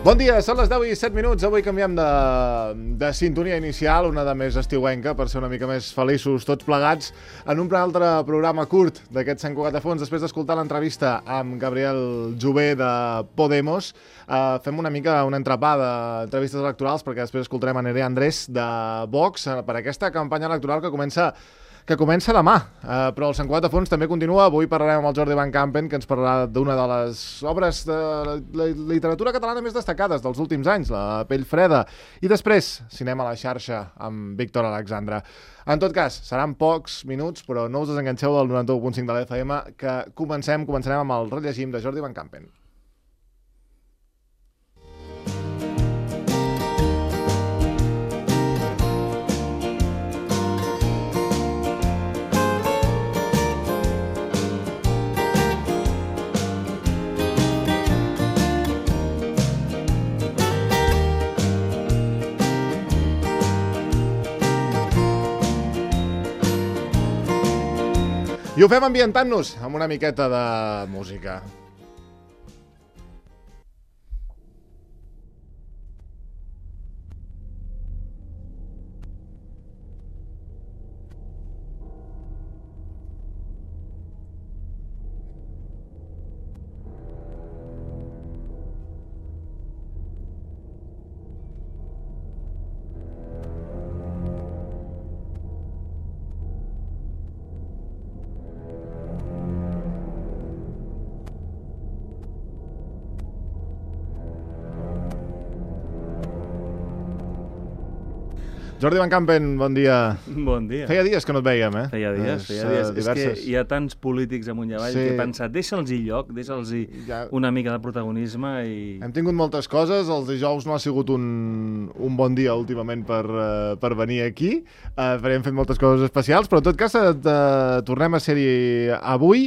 Bon dia, són les 10 i 7 minuts. Avui canviem de sintonia inicial, una de més estiuenca, per ser una mica més feliços tots plegats, en un altre programa curt d'aquest Sant Cugat de Fons. Després d'escoltar l'entrevista amb Gabriel Jové de Podemos, fem una mica un entrepà d'entrevistes electorals, perquè després escoltarem a Nerea Andrés de Vox per aquesta campanya electoral que comença demà, però el Sant Cugat de Fons també continua. Avui parlarem amb el Jordi Van Campen, que ens parlarà d'una de les obres de la literatura catalana més destacades dels últims anys, La pell freda, i després Cinema a la xarxa amb Víctor Alexandre. En tot cas, seran pocs minuts, però no us desenganxeu del 91.5 de l'FM, que començarem amb el rellegim de Jordi Van Campen. I ho fem ambientant-nos amb una miqueta de música. Jordi Van Campen, bon dia. Bon dia. Feia dies que no et veiem, eh? Feia dies. És que hi ha tants polítics amunt i avall que he pensat, deixa'ls-hi lloc, deixa'ls-hi una mica de protagonisme i... Hem tingut moltes coses, els dijous no ha sigut un bon dia últimament per venir aquí, hem fet moltes coses especials, però en tot cas tornem a ser-hi avui.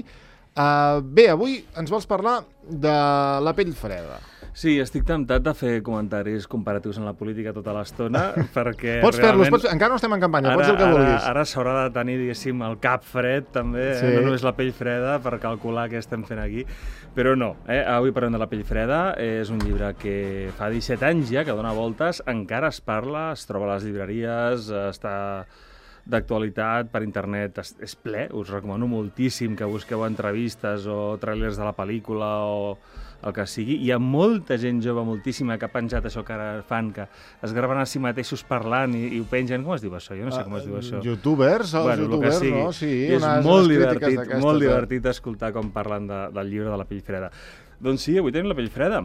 Bé, avui ens vols parlar de La pell freda. Sí, estic temptat de fer comentaris comparatius en la política tota l'estona, perquè pots fer-los, encara no estem en campanya, pots dir el que vulguis. Ara s'haurà de tenir, diguéssim, el cap fred, també, sí. No només la pell freda, per calcular què estem fent aquí, però no, avui parlem de La pell freda, és un llibre que fa 17 anys ja, que dona voltes, encara es parla, es troba a les llibreries, està d'actualitat per internet, és ple, us recomano moltíssim que busqueu entrevistes o trailers de la pel·lícula o el que sigui. Hi ha molta gent jove, moltíssima, que ha penjat això que ara fan, que es graven a si mateixos parlant i ho pengen. Com es diu això? Jo no sé com es diu això. Youtubers, youtubers, no? Sí, és molt divertit escoltar com parlen del llibre de La pell freda. Doncs sí, avui tenim La pell freda,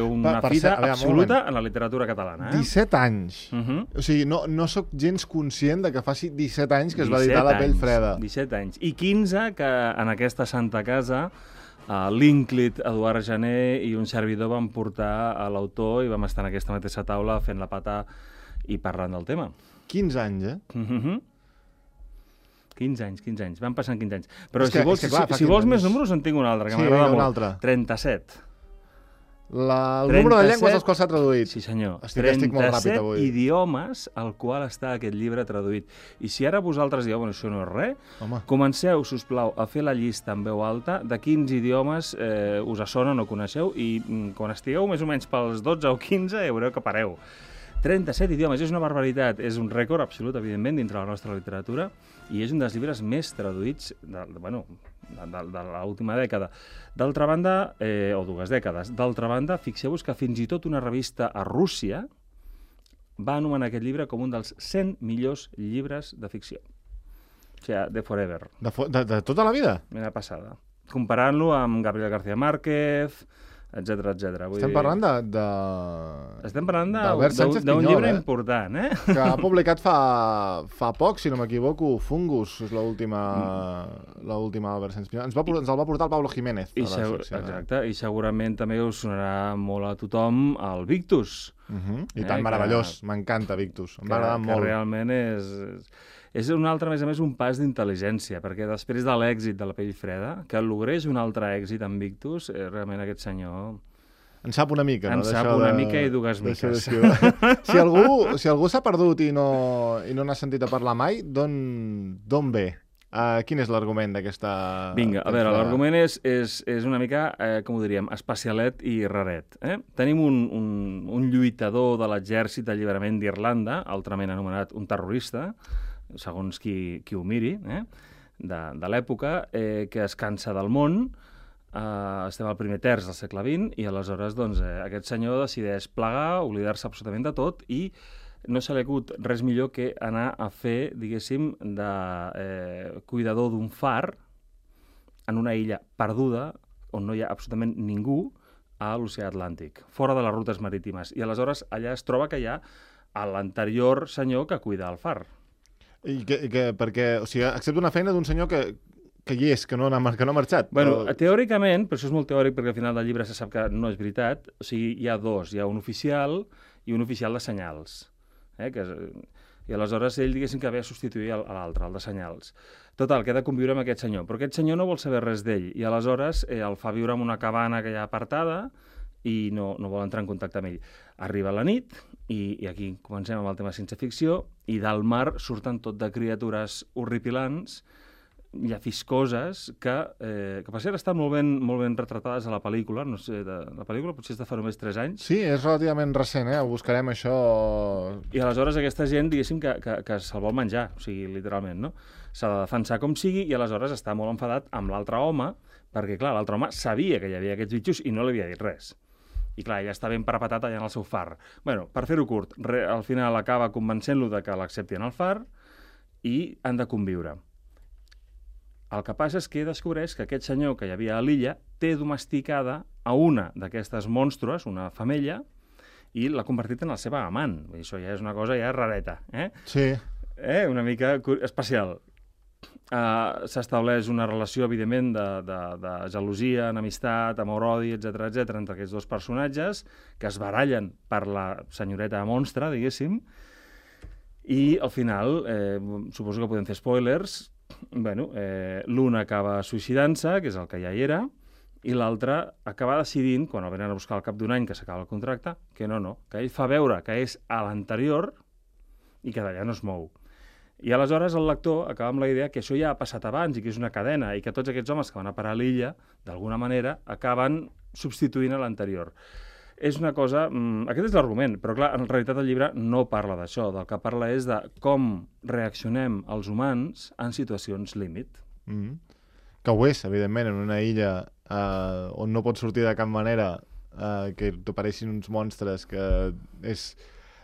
una fita absoluta en la literatura catalana. 17 anys. O sigui, no sóc gens conscient de que faci 17 anys que es va editar La pell freda. 17 anys. I 15 que en aquesta santa casa l'Ínclit, Eduard Jané i un servidor van portar a l'autor i vam estar en aquesta mateixa taula fent la pata i parlant del tema. 15 anys, eh? 15 anys. Van passant 15 anys. Però si vols més números, en tinc un altre, que m'agrada molt. 37. El número de llengües als quals s'ha traduït. Sí, senyor. Estic molt ràpid avui. 37 idiomes al qual està aquest llibre traduït. I si ara vosaltres dieu, això no és res, comenceu, sisplau, a fer la llista en veu alta de quins idiomes us assonen o coneixeu i quan estigueu més o menys pels 12 o 15 ja veureu que pareu. 37 idiomes, és una barbaritat, és un rècord absolut, evidentment, dintre la nostra literatura, i és un dels llibres més traduïts de l'última dècada. D'altra banda, o 2 dècades, d'altra banda, fixeu-vos que fins i tot una revista a Rússia va anomenar aquest llibre com un dels 100 millors llibres de ficció. O sigui, de forever. De tota la vida? Mira passada. Comparant-lo amb Gabriel García Márquez, etcètera. Estem parlant d'un llibre important, que ha publicat fa poc, si no m'equivoco, Fungus, és l'última Albert Sánchez Pinyol. Ens el va portar el Pablo Jiménez. Exacte, i segurament també us sonarà molt a tothom el Victus. I tant, meravellós, m'encanta Victus, em va agradar molt. Que realment és un altre, a més a més, un pas d'intel·ligència, perquè després de l'èxit de La pell freda, que logrés un altre èxit amb Victus, realment aquest senyor... En sap una mica, no? En sap una mica i dues miques. Si algú s'ha perdut i no n'ha sentit a parlar mai, d'on ve Quin és l'argument d'aquesta... Vinga, a veure, l'argument és una mica, com ho diríem, especialet i raret. Tenim un lluitador de l'exèrcit d'alliberament d'Irlanda, altrament anomenat un terrorista, segons qui ho miri, de l'època, que es cansa del món. Estem al primer terç del segle XX i aleshores aquest senyor decideix plegar, oblidar-se absolutament de tot i no se li ha hagut res millor que anar a fer, diguéssim, de cuidador d'un far en una illa perduda on no hi ha absolutament ningú a l'oceà Atlàntic, fora de les rutes marítimes. I aleshores allà es troba que hi ha l'anterior senyor que cuida el far. Perquè, o sigui, accepta una feina d'un senyor que hi és, que no ha marxat. Bueno, teòricament, però això és molt teòric perquè al final del llibre se sap que no és veritat, o sigui, hi ha dos, hi ha un oficial i un oficial de senyals. I aleshores ell, diguéssim, que ve a substituir l'altre, el de senyals. Total, que ha de conviure amb aquest senyor, però aquest senyor no vol saber res d'ell, i aleshores el fa viure en una cabana que hi ha apartada i no vol entrar en contacte amb ell. Arriba la nit, i aquí comencem amb el tema ciència ficció, i del mar surten tot de criatures horripilants, llafiscoses, que per cert estan molt ben retratades a la pel·lícula, no sé, la pel·lícula potser és de fa només 3 anys. Sí, és relativament recent, ho buscarem això... I aleshores aquesta gent, diguéssim, que se'l vol menjar, o sigui, literalment, no? S'ha de defensar com sigui i aleshores està molt enfadat amb l'altre home, perquè, clar, l'altre home sabia que hi havia aquests bitxos i no li havia dit res. I, clar, ja està ben parapetat allà en el seu far. Bueno, per fer-ho curt, al final acaba convencent-lo de que l'accepti en el far i han de conviure. El que passa és que descobreix que aquest senyor que hi havia a l'illa té domesticada a una d'aquestes monstres, una femella, i l'ha convertit en la seva amant. Això ja és una cosa ja rareta, Sí. Una mica especial. S'estableix una relació, evidentment, de gelosia, enemistat, amor-odi, etc entre aquests dos personatges, que es barallen per la senyoreta monstre, diguéssim, i al final, suposo que podem fer spoilers, l'un acaba suïcidant-se, que és el que ja hi era, i l'altre acaba decidint, quan el venen a buscar al cap d'un any que s'acaba el contracte, que no, que ell fa veure que és a l'anterior i que d'allà no es mou. I aleshores el lector acaba amb la idea que això ja ha passat abans i que és una cadena i que tots aquests homes que van a parar a l'illa, d'alguna manera, acaben substituint a l'anterior. És una cosa... Aquest és l'argument, però clar, en realitat el llibre no parla d'això. Del que parla és de com reaccionem els humans en situacions límit. Que ho és, evidentment, en una illa on no pots sortir de cap manera, que t'apareixin uns monstres, que és...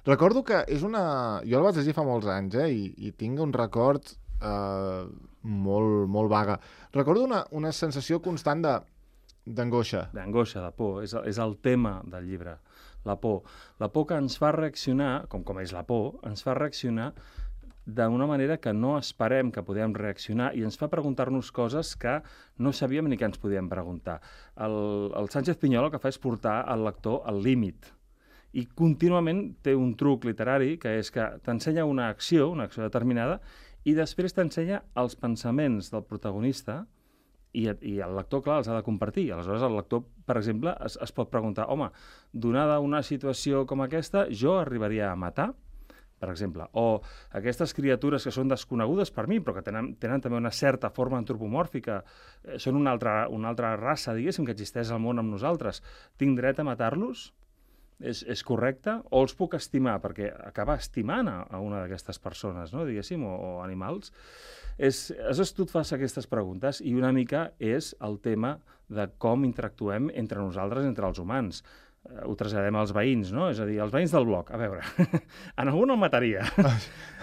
Recordo que és una... Jo el vaig llegir fa molts anys, i tinc un record molt, molt vaga. Recordo una sensació constant d'angoixa. D'angoixa, de por. És el tema del llibre, la por. La por que ens fa reaccionar, com és la por, ens fa reaccionar d'una manera que no esperem que podem reaccionar i ens fa preguntar-nos coses que no sabíem ni que ens podíem preguntar. El Sánchez Pinyol el que fa és portar el lector al límit. I contínuament té un truc literari que és que t'ensenya una acció determinada, i després t'ensenya els pensaments del protagonista i el lector, clar, els ha de compartir. Aleshores, el lector, per exemple, es pot preguntar, home, donada una situació com aquesta, jo arribaria a matar, per exemple, o aquestes criatures que són desconegudes per mi, però que tenen també una certa forma antropomòrfica, són una altra raça, diguéssim, que existeix al món amb nosaltres. Tinc dret a matar-los? És correcte? O els puc estimar? Perquè acaba estimant a una d'aquestes persones, no? Diguéssim, o animals. Tu et fas aquestes preguntes i una mica és el tema de com interactuem entre nosaltres, entre els humans. Ho traslladem als veïns, no? És a dir, els veïns del bloc. A veure, en algun el mataria.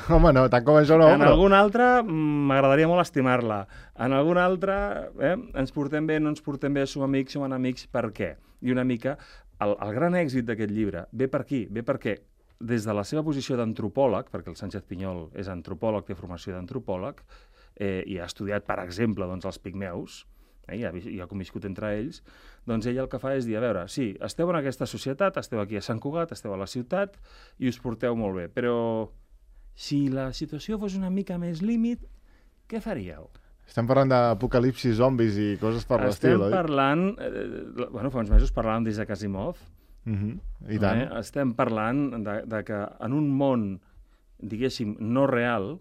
Home, no, tant com això no. En algun altre m'agradaria molt estimar-la. En algun altre ens portem bé, no ens portem bé, som amics, som enemics, per què? I una mica el gran èxit d'aquest llibre ve per aquí, ve perquè des de la seva posició d'antropòleg, perquè el Sánchez Pinyol és antropòleg, té formació d'antropòleg, i ha estudiat, per exemple, els pigmeus, i ha conviscut entre ells, doncs ell el que fa és dir, a veure, sí, esteu en aquesta societat, esteu aquí a Sant Cugat, esteu a la ciutat, i us porteu molt bé, però si la situació fos una mica més límit, què faríeu? Estem parlant d'apocalipsis, zombis i coses per l'estil, oi? Estem parlant... fa uns mesos parlàvem d'Isaac Asimov. I tant. Estem parlant de que en un món, diguéssim, no real,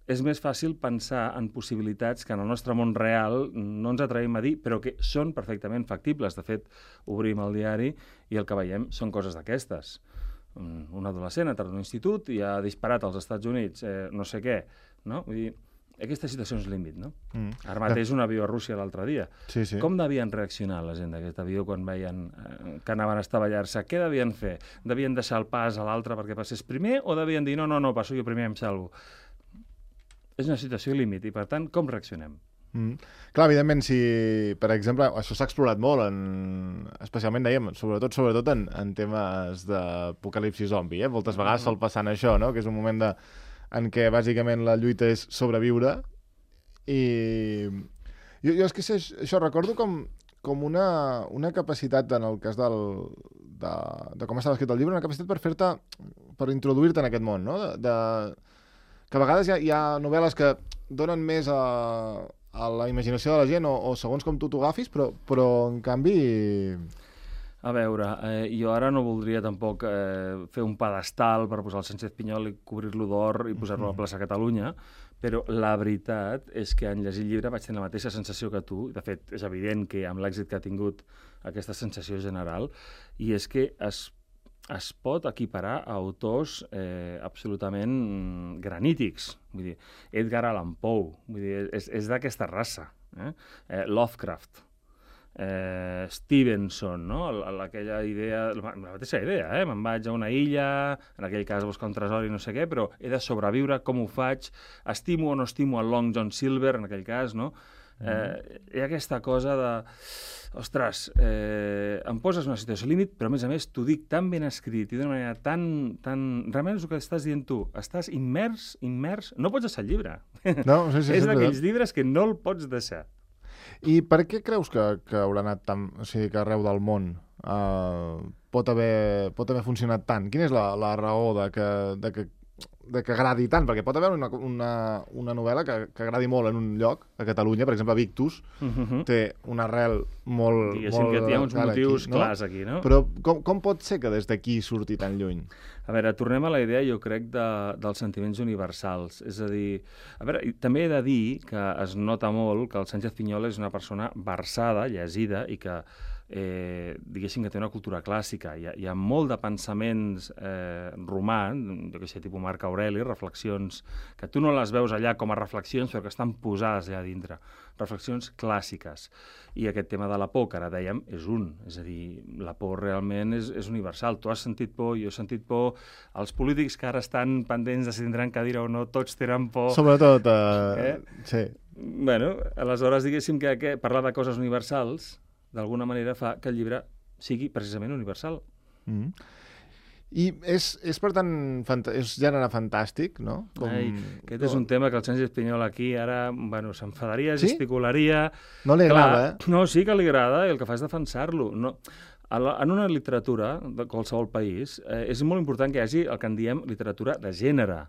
és més fàcil pensar en possibilitats que en el nostre món real no ens atrevim a dir, però que són perfectament factibles. De fet, obrim el diari i el que veiem són coses d'aquestes. Un adolescent ha entrat a un institut i ha disparat als Estats Units no sé què, no? Vull dir, aquesta situació és límit, no? Ara mateix un avió a Rússia l'altre dia. Sí. Com devien reaccionar la gent d'aquest avió quan veien que anaven a estavellar-se? Què devien fer? Devien deixar el pas a l'altre perquè passés primer o devien dir no, passo jo primer, em salvo? És una situació límit i, per tant, com reaccionem? Clar, evidentment, si, per exemple, això s'ha explorat molt, especialment, dèiem, sobretot en temes d'apocalipsi zombi, moltes vegades sol passar en això, no? Que és un moment en què, bàsicament, la lluita és sobreviure, i jo és que això recordo com una capacitat, en el cas de com estava escrit el llibre, una capacitat per introduir-te en aquest món, no? Que a vegades hi ha novel·les que donen més a la imaginació de la gent o segons com tu t'ho agafis, però en canvi... A veure, jo ara no voldria tampoc fer un pedestal per posar el Sánchez Pinyol i cobrir-lo d'or i posar-lo a la plaça Catalunya, però la veritat és que en llegir el llibre vaig tenir la mateixa sensació que tu. De fet, és evident que amb l'èxit que ha tingut aquesta sensació general, i és que es pot equiparar a autors absolutament granítics. Vull dir, Edgar Allan Poe, vull dir, és d'aquesta raça. Lovecraft, Stevenson, no? Aquella idea, la mateixa idea, me'n vaig a una illa, en aquell cas a buscar un tresor i no sé què, però he de sobreviure, com ho faig? Estimo o no estimo el Long John Silver, en aquell cas, no? Hi ha aquesta cosa de... Ostres, em poses una situació límit, però a més t'ho dic tan ben escrit i d'una manera tan... Realment és el que estàs dient tu. Estàs immers, no pots deixar el llibre. No, sí, és d'aquells llibres que no el pots deixar. I per què creus que haurà anat tant, o sigui, que arreu del món pot haver funcionat tant? Quina és la raó de que agradi tant? Perquè pot haver una novel·la que agradi molt en un lloc, a Catalunya, per exemple, Victus, té una arrel molt... Diguéssim que hi ha uns motius clars aquí, no? Però com pot ser que des d'aquí surti tan lluny? A veure, tornem a la idea, jo crec, dels sentiments universals. És a dir, també he de dir que es nota molt que el Sánchez Pinyol és una persona versada, llegida, i que diguéssim que té una cultura clàssica. Hi ha molt de pensaments romà, jo què sé, tipus Marc Aureli, reflexions que tu no les veus allà com a reflexions, però que estan posades allà dintre. Reflexions clàssiques. I aquest tema de la por, que ara dèiem, és a dir, la por realment és universal. Tu has sentit por, jo he sentit por, els polítics que ara estan pendents de si tindran cadira o no, tots tenen por. Sobretot, sí. Bueno, aleshores, diguéssim que parlar de coses universals d'alguna manera fa que el llibre sigui precisament universal. I és per tant, és gènere fantàstic, no? Aquest és un tema que el Sánchez Pinyol aquí ara, s'enfadaria, gesticularia... No li agrada, No, sí que li agrada, i el que fa és defensar-lo. No. En una literatura de qualsevol país és molt important que hi hagi el que en diem literatura de gènere.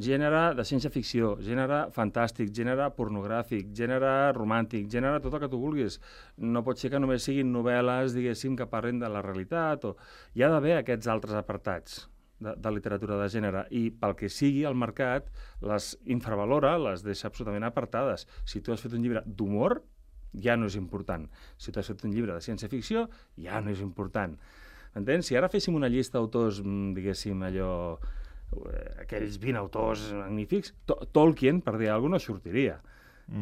Gènere de ciència-ficció, gènere fantàstic, gènere pornogràfic, gènere romàntic, gènere tot el que tu vulguis. No pot ser que només siguin novel·les, diguéssim, que parlen de la realitat. Hi ha d'haver aquests altres apartats de literatura de gènere, i pel que sigui el mercat les infravalora, les deixa absolutament apartades. Si tu has fet un llibre d'humor, ja no és important. Si tu has fet un llibre de ciència-ficció, ja no és important. Entens? Si ara féssim una llista d'autors, diguéssim, allò... aquells 20 autors magnífics, Tolkien, per dir alguna cosa, no sortiria.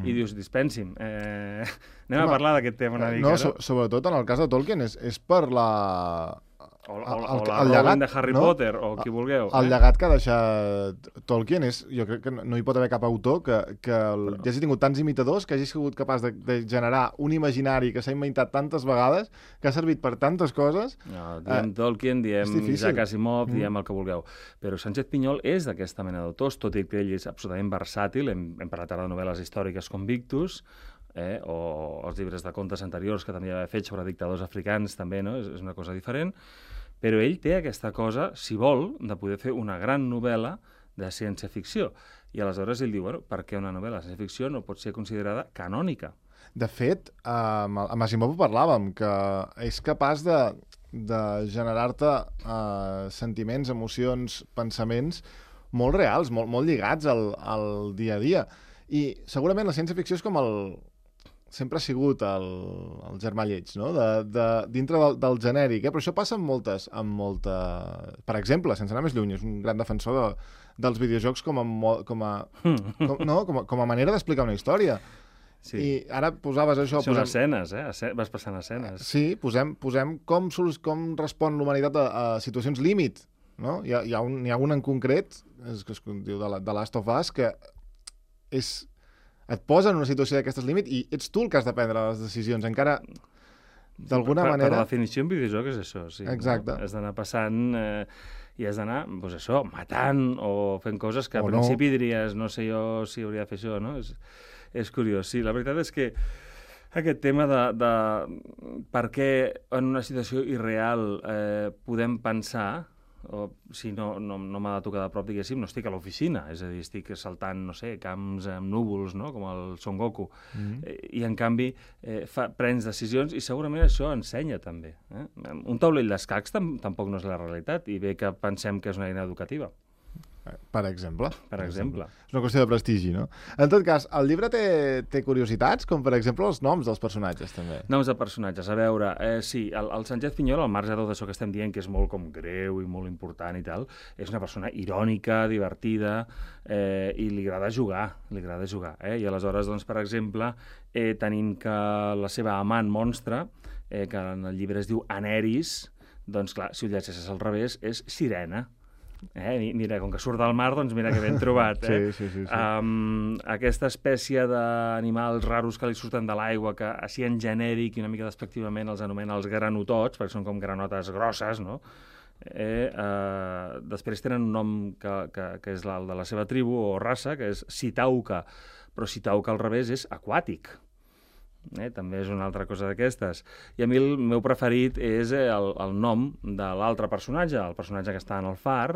I dius, dispensi'm, anem a parlar d'aquest tema una mica, no? Sobretot en el cas de Tolkien és per la... O la Rowling de Harry Potter, o qui vulgueu. El llegat que ha deixat Tolkien és... Jo crec que no hi pot haver cap autor que hagi tingut tants imitadors, que hagi sigut capaç de generar un imaginari que s'ha inventat tantes vegades, que ha servit per tantes coses... No, diem Tolkien, diem Isaac Asimov, diem el que vulgueu. Però Sánchez Pinyol és d'aquesta mena d'autors, tot i que ell és absolutament versàtil. Hem parlat ara de novel·les històriques com Victus, o els llibres de contes anteriors que també havia fet sobre dictadors africans, també, no? És una cosa diferent. Però ell té aquesta cosa, si vol, de poder fer una gran novel·la de ciència-ficció. I aleshores ell diu, per què una novel·la de ciència-ficció no pot ser considerada canònica? De fet, amb Asimov ho parlàvem, que és capaç de generar-te sentiments, emocions, pensaments molt reals, molt lligats al dia a dia. I segurament la ciència-ficció és com sempre ha sigut el germà lleig, no? Dintre del genèric, però això passa amb molta... Per exemple, sense anar més lluny, és un gran defensor dels videojocs com a manera d'explicar una història. Sí. I ara posaves això... Són escenes, vas passant escenes. Sí, posem com respon l'humanitat a situacions límit, no? Hi ha un en concret, que es diu The Last of Us, que et posa en una situació d'aquestes límit i ets tu el que has de prendre les decisions. Encara, d'alguna manera... Per definició, en videojoc és això, sí. Exacte. No? Has d'anar passant i has d'anar, doncs això, matant o fent coses que al principi diries, no sé jo si hauria de fer això, no? És curiós, sí. La veritat és que aquest tema de per què en una situació irreal podem pensar, o si no m'ha de tocar de prop, diguéssim, no estic a l'oficina, és a dir, estic saltant, no sé, camps amb núvols, no?, com el Son Goku, i en canvi prens decisions i segurament això ensenya també. Un taulell d'escacs tampoc no és la realitat i bé que pensem que és una eina educativa. Per exemple. És una qüestió de prestigi, no? En tot cas, el llibre té curiositats, com per exemple els noms dels personatges, també. Noms de personatges, a veure, sí, el Sánchez Piñol, al marge de tot això que estem dient, que és molt com greu i molt important i tal, és una persona irònica, divertida, i li agrada jugar. I aleshores, doncs, per exemple, tenim que la seva amant monstre, que en el llibre es diu Aneris, doncs clar, si ho llegeixes al revés, és Sirena. Mira, com que surt del mar, doncs mira que ben trobat. Sí. Aquesta espècie d'animals raros que li surten de l'aigua, que així en genèric i una mica despectivament els anomena els granotots, perquè són com granotes grosses, no? Després tenen un nom que és el de la seva tribu o raça, que és Sitauca, però Sitauca al revés és aquàtic. També és una altra cosa d'aquestes. I a mi el meu preferit és el nom de l'altre personatge, el personatge que està en el far,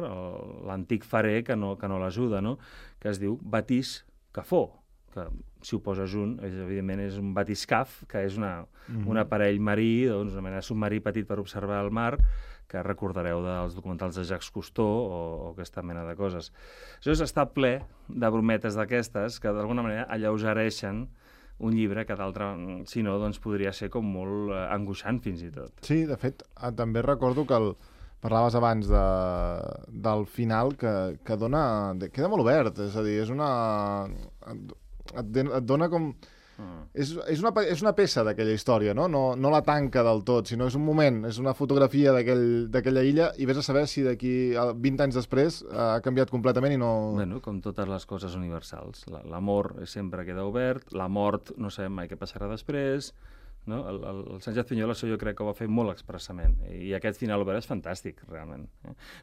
l'antic farer que no l'ajuda, no? Que es diu Batís Cafó, que si ho poses junt, evidentment és un batiscaf, que és un aparell marí, doncs una mena de submarí petit per observar el mar, que recordareu dels documentals de Jacques Cousteau o aquesta mena de coses. Això està ple de brometes d'aquestes que d'alguna manera alleugereixen un llibre que d'altre, si no, doncs podria ser com molt angoixant fins i tot. Sí, de fet, també recordo que parlaves abans del final que queda molt obert, és a dir, és et dona com... És una peça d'aquella història, no la tanca del tot, sinó és un moment, és una fotografia d'aquella illa i vés a saber si d'aquí 20 anys després ha canviat completament i no... Bueno, com totes les coses universals. L'amor sempre queda obert, la mort no sabem mai què passarà després, no? El Sánchez Piñol això jo crec que ho va fer molt expressament i aquest final obert és fantàstic, realment.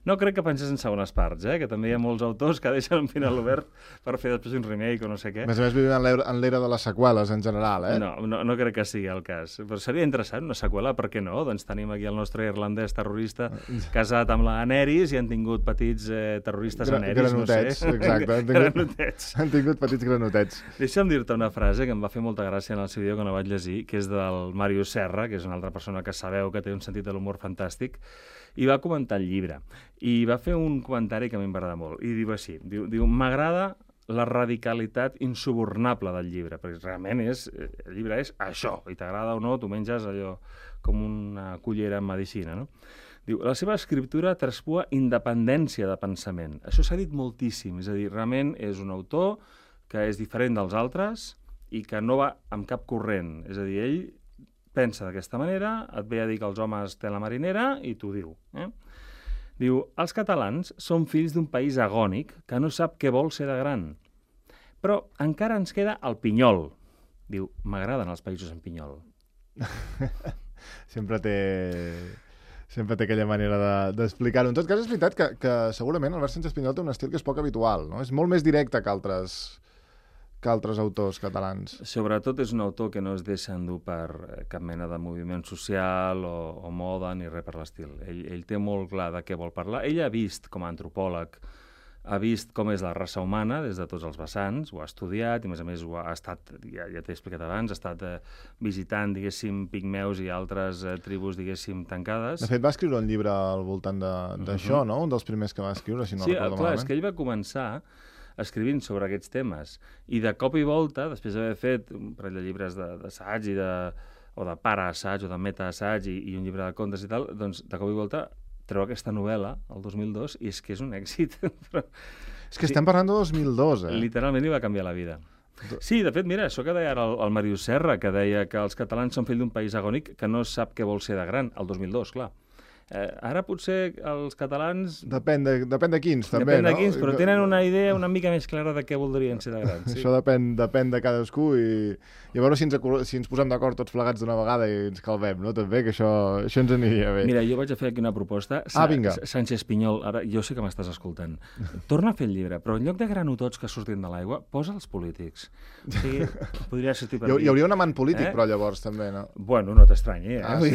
No crec que penses en segones parts, que també hi ha molts autors que deixen un final obert per fer després un remake o no sé què. A més vivim en l'era de les seqüeles en general, No crec que sigui el cas, però seria interessant una seqüela, per què no? Doncs tenim aquí el nostre irlandès terrorista casat amb la Aneris i han tingut petits terroristes Aneris, granotets, no sé. Exacte, Granotets. Han tingut petits granotets. Deixa'm dir-te una frase que em va fer molta gràcia en el seu vídeo que no vaig llegir, que és del Màrius Serra, que és una altra persona que sabeu que té un sentit de l'humor fantàstic, i va comentar el llibre. I va fer un comentari que a mi em va agradar molt. I diu així, diu m'agrada la radicalitat insubornable del llibre, perquè realment el llibre és això, i t'agrada o no, tu menges allò com una cullera en medicina, no? Diu, la seva escriptura traspua independència de pensament. Això s'ha dit moltíssim, és a dir, realment és un autor que és diferent dels altres i que no va amb cap corrent. És a dir, ell pensa d'aquesta manera, et ve a dir que els homes tenen la marinera i t'ho diu. Diu, els catalans són fills d'un país agònic que no sap què vol ser de gran. Però encara ens queda el pinyol. Diu, m'agraden els països amb pinyol. Sempre té aquella manera d'explicar-ho. En tot cas, és veritat que segurament Albert Sánchez Pinyol té un estil que és poc habitual, no? És molt més directe que altres autors catalans. Sobretot és un autor que no es deixa endur per cap mena de moviment social o moda ni res per l'estil. Ell té molt clar de què vol parlar. Ell ha vist, com a antropòleg, ha vist com és la raça humana des de tots els vessants, ho ha estudiat, i a més ho ha estat, ja t'he explicat abans, ha estat visitant, diguéssim, pigmeus i altres tribus, diguéssim, tancades. De fet, va escriure un llibre al voltant d'això, no? Un dels primers que va escriure, si no recordo malament. Sí, clar, és que ell va començar escrivint sobre aquests temes, i de cop i volta, després d'haver fet un parell de llibres d'assaig o de para-assaig o de meta-assaig i un llibre de contes i tal, doncs de cop i volta treu aquesta novel·la, el 2002, i és que és un èxit. És que estem parlant de 2002, eh? Literalment li va canviar la vida. Sí, de fet, mira, això que deia ara el Màrius Serra, que deia que els catalans són fill d'un país agònic que no sap què vol ser de gran, el 2002, clar. Ara potser els catalans... Depèn de quins, també, no? Depèn de quins, però tenen una idea una mica més clara de què voldrien ser de grans. Sí? Això depèn de cadascú i a veure si ens posem d'acord tots plegats d'una vegada i ens calvem, no? També, que això ens aniria bé. Mira, jo vaig a fer aquí una proposta. Vinga. Sánchez Pinyol, ara jo sé que m'estàs escoltant. Torna a fer el llibre, però en lloc de granotots que surtin de l'aigua, posa els polítics. O sigui, podria sortir per aquí. Hi hauria un amant polític, però llavors també, no? Bueno, no t'estranyi, Sí,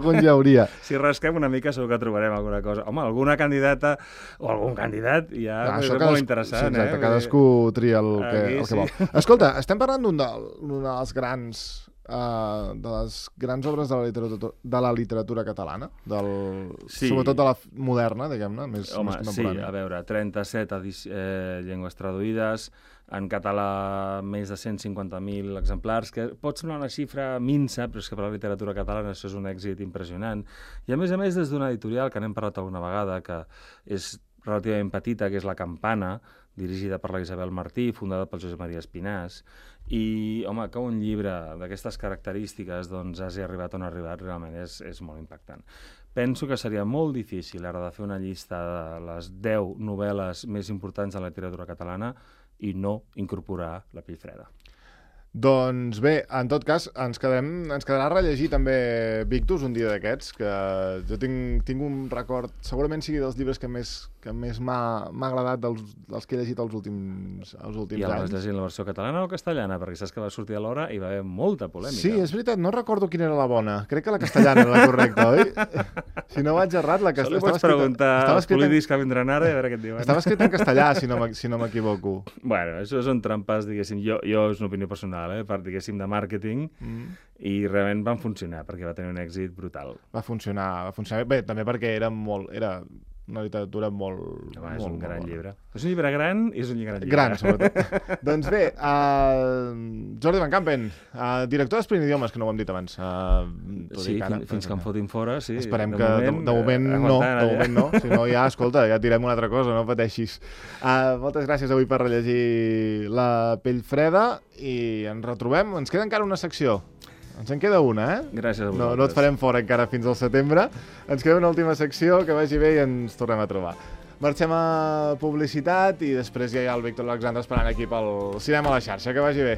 algun ja hauria. Si rasquem una mica segur que trobarem alguna cosa. Home, alguna candidata o algun candidat ja és molt interessant. Sí, exacte, cadascú tria el que vol. Escolta, estem parlant d'un dels grans de les grans obres de la literatura catalana, sobretot de la moderna, diguem-ne, més contemporània. Sí, a veure, 37 llengües traduïdes, en català més de 150.000 exemplars, que pot semblar una xifra minsa, però és que per la literatura catalana això és un èxit impressionant. I a més des d'una editorial que n'hem parlat alguna vegada, que és relativament petita, que és La Campana, dirigida per la Isabel Martí, fundada pel Josep Maria Espinàs, i, home, que un llibre d'aquestes característiques doncs hagi arribat on ha arribat realment és molt impactant. Penso que seria molt difícil ara de fer una llista de les 10 novel·les més importants de la literatura catalana i no incorporar La pell freda. Doncs bé, en tot cas, ens quedarà rellegir també Victus un dia d'aquests, que jo tinc un record, segurament sigui dels llibres que més m'ha agradat dels que he llegit els últims anys. I vas llegir la versió catalana o castellana? Perquè saps que va sortir a l'hora i va haver molta polèmica. Sí, és veritat, no recordo quina era la bona. Crec que la castellana era la correcta, oi? Si no vaig errat, la castellana... Això li pots preguntar als polítics que vindran ara i a veure què et diuen. Estava escrit en castellà, si no m'equivoco. Bueno, això són trampes, diguéssim. Jo és una opinió personal, per, diguéssim, de màrqueting, i realment van funcionar, perquè va tenir un èxit brutal. Va funcionar bé, també perquè era una literatura molt... És un gran llibre. És un llibre gran i és un gran llibre. Gran, sobretot. Doncs bé, Jordi Van Campen, director d'Esprint Idiomes, que no ho hem dit abans. Sí, fins que em fotin fora, sí. Esperem que de moment no. Si no, ja, escolta, ja tirem una altra cosa, no pateixis. Moltes gràcies avui per rellegir La pell freda i ens retrobem. Ens queda encara una secció. Ens en queda una, eh? Gràcies a vosaltres. No et farem fora encara fins al setembre. Ens queda una última secció, que vagi bé i ens tornem a trobar. Marxem a publicitat i després ja hi ha el Víctor Alexandre esperant aquí pel Cinema a la xarxa. Que vagi bé.